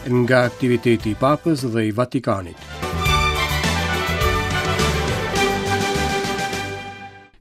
Nga aktiviteti i Papës dhe i Vatikanit.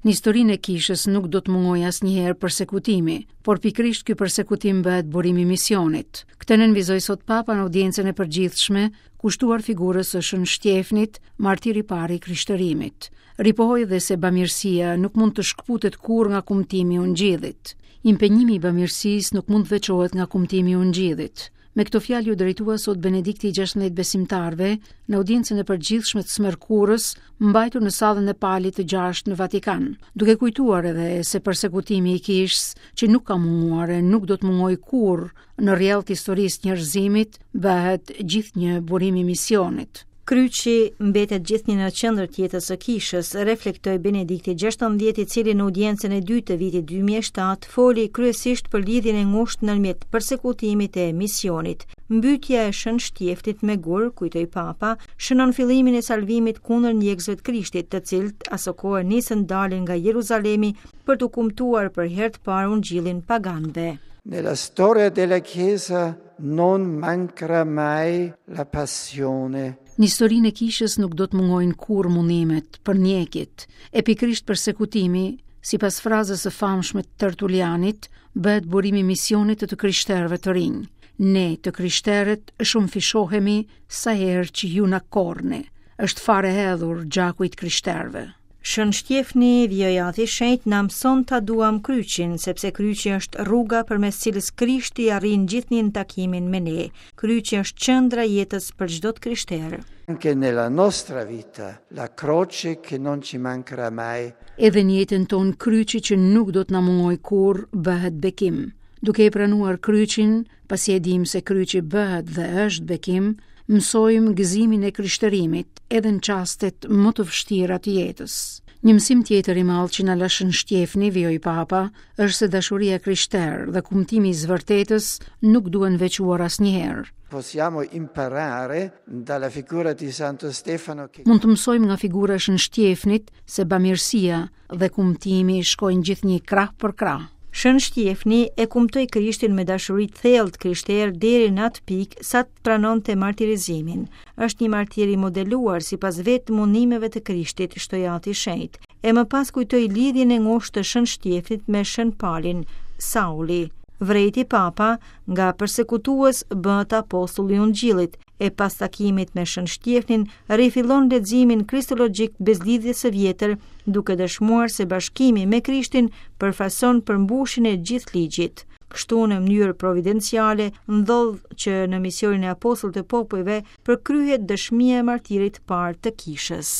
Në historinë e kishës nuk do të mungojë asnjëherë persekutimi, por pikërisht ky persekutim bëhet burim i misionit. Këtë nënvizoi sot Papa në audiencën e përgjithshme kushtuar figurës së Shën Shtjefnit, martir i parë i krishterimit. Ripohoi dhe se bamirësia nuk mund të shkëputet kurrë nga kumtimi i Ungjillit. Impenjimi i bamirësisë nuk mund të veçohet nga kumtimi i Ungjillit. Me këto fjalë iu drejtua sot Benedikti i 16 besimtarëve në audiencën e përgjithshme të së mërkurës, mbajtur në sallën e Palit të gjashtë në Vatikan, duke kujtuar edhe se persekutimi i kishës, që nuk ka munguar e nuk do të mungojë kurrë në rrjedhë të historisë së njerëzimit, bëhet gjithnjë burim i misionit. Kryqi mbetet gjithnjë në qendër të jetës së kishës, reflektoi Benedikti XVI, i cili në audiencën e dytë të vitit 2007 foli kryesisht për lidhjen e ngushtë ndërmjet persekutimit e misionit. Mbytja e Shën Shtjefnit me gur, kujtoi Papa, shënon fillimin e salvimit kundër ndjekësve të Krishtit, të cilët asokohe nisën dalin nga Jeruzalemi për t'u kumtuar për herë të parë ungjillin paganëve. Nella storia della Chiesa non mancherà mai la passione. Në historinë e kishës nuk do të mungojnë kurrë mundimet, përndjekjet, e pikërisht persekutimi, sipas frazës së famshme të Tertulianit, bëhet burim i misionit të të krishterëve të rinj. Ne, të krishterët, shumëfishohemi sa herë që ju na korrni. Është farë e hedhur gjaku i të krishterëve. Shën Shtjefni, vijoi Ati i Shenjtë, na mëson ta duam kryqin, sepse kryqi është rruga përmes cilës Krishti arrin gjithnjë në takimin me ne. Kryqi është qendra e jetës për çdo të krishterë. Anche nella nostra vita, la croce che non ci mancherà mai. Edhe në jetën tonë kryqi që nuk do të na mungojë kurrë bëhet bekim. Duke e pranuar kryqin, Pasi e dimë se kryqi bëhet dhe është bekim, mësojmë gëzimin e krishterimit edhe në çastet më të vështira të jetës. Një mësim tjetër i madh që na la Shën Shtjefni, vijoi Papa, është se dashuria e krishterë dhe kumtimi i së vërtetës nuk duhen veçuar asnjëherë. Possiamo imparare dalla figura di Santo Stefano che Mund të mësojmë nga figura e Shën Shtjefnit se bamirësia dhe kumtimi shkojnë gjithnjë krah për krah. Shën Shtjefni e kumtoi Krishtin me dashuri të thellë të krishterë deri në atë pikë sa të pranonte martirizimin. Është një martir i modeluar sipas vetë mundimeve të Krishtit, shtoi Ati i Shenjtë. E më pas kujtoi lidhjen e ngushtë të Shën Shtjefnit me Shën Palin, Sauli. Vërejti Papa, nga persekutues bëhet apostull i Ungjillit, e pas takimit me Shën Shtjefnin, rifillon leximin kristologjik të Besëlidhjes së Vjetër, duke dëshmuar se bashkimi me Krishtin përfaqëson përmbushjen e gjithë ligjit. Kështu në mënyrë providenciale ndodh që në misionin e apostullit të popujve përkryhet dëshmia e martirit të parë të kishës.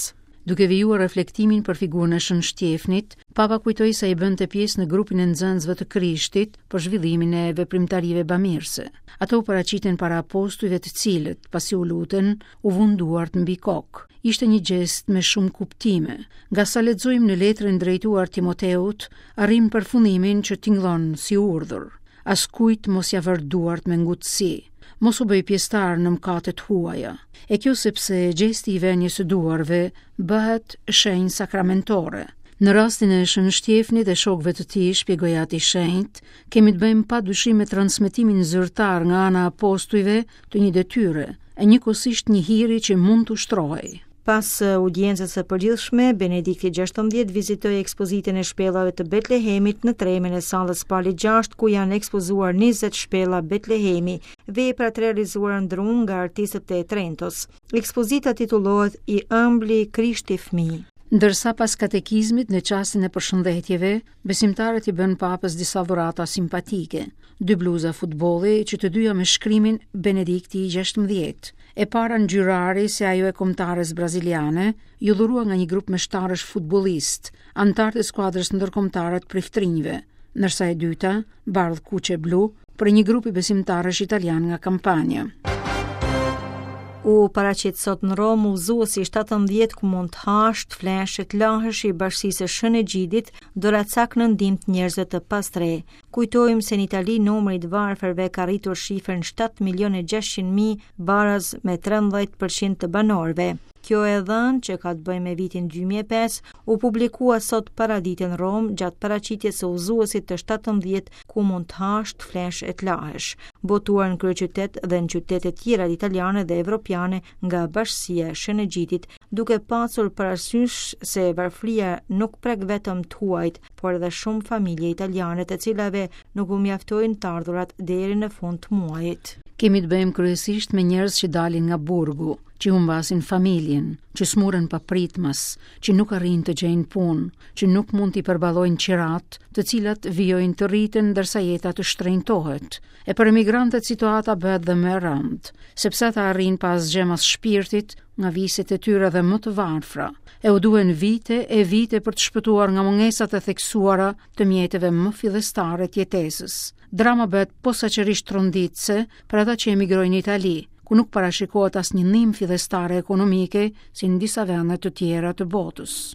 Duke vijuar reflektimin për figurën e Shën Shtjefnit, Papa kujtoi se ai bënte pjesë në grupin e nxënësve të Krishtit për zhvillimin e veprimtarive bamirëse. Ato u paraqitën para apostujve të cilët, pasi u lutën, u vunë duart mbi kokë. Ishte një gjest me shumë kuptime. Nga sa lexojmë në letrën drejtuar Timoteut, arrijmë përfundimin që tingëllon si urdhër. Askujt mos ia vër duart me ngutësi. Mos u bëj pjesëtar në mëkate të huaja. E kjo sepse gjesti i vënies së duarve bëhet shenjë sakramentore. Në rastin e Shën Shtjefnit dhe shokëve të tij, shpjegoi Ati i Shenjtë, kemi të bëjmë pa dyshim me transmetimin zyrtar nga ana e apostujve të një detyre, e njëkohësisht një hiri që mund të ushtrohej. Pas audiencës së përgjithshme, Benedikti XVI vizitoi ekspozitën e shpellave të Betlehemit në tremen e sallës Pali 6, ku janë ekspozuar 20 shpella Betlehemi, vepra të realizuara në dru nga artistët e Trentos. Ekspozita titullohet I ëmbli Krishti fëmijë. Ndërsa pas katekizmit në çastin e përshëndetjeve, Besimtarët i bënë Papës disa dhurata simpatike, dy bluza futbolli që të dyja me shkrimin Benedikti i 16. E para ngjyrë ari si ajo e kombëtares braziliane, iu dhurua nga një grup meshtarësh futbollistë, anëtarë të skuadrës ndërkombëtare të priftërinjve, ndërsa e dyta, bardh kuq e blu, prej një grupi besimtarësh italianë nga Kampania. U paraqit sot në Romë udhëzuesi 17 ku mund të hash, të flesh e të lahesh i bashkësisë së Shën Egjidit, doracak në ndihmë të njerëzve të pastrehë. Kujtojmë se në Itali numri i të varfërve ka rritur shifrën 7 milionë e 600 mijë, baraz me 13% të banorëve. Kjo e dhënë, që ka të bëjë me vitin 2005, u publikua sot paradite në Romë gjatë paraqitjes së udhëzuesit të 17 ku mund të hash, të flesh e të lahesh, botuar në kryeqytet dhe në qytete tjera italiane dhe evropiane nga Bashkësia e Shën Egjidit, duke pasur parasysh se varfëria nuk prek vetëm të huajt, por edhe shumë familje italiane të cilave nuk u mjaftojnë të ardhurat deri në fund të muajit. Kemi të bëjmë kryesisht me njerëz që dalin nga burgu, që humbasin familjen, që smuren papritmas, që nuk arrijnë të gjejnë punë, që nuk mund t'i përballojnë qiratë, të cilat vijojnë të rriten ndërsa jeta të shtrenjtohet. E për emigrantët situata bëhet dhe më e rëndë, sepse ata arrijnë pa asgjë mas shpirtit nga viset e tyre dhe më të varfra, e u duhen vite e vite për të shpëtuar nga mungesat e theksuara të mjeteve më fillestare të jetesës. Drama bëhet posaçërisht tronditëse për ata që emigrojnë në Itali, ku nuk parashikohet asnjë ndihmë fillestare ekonomike si në disa vende të tjera të botës.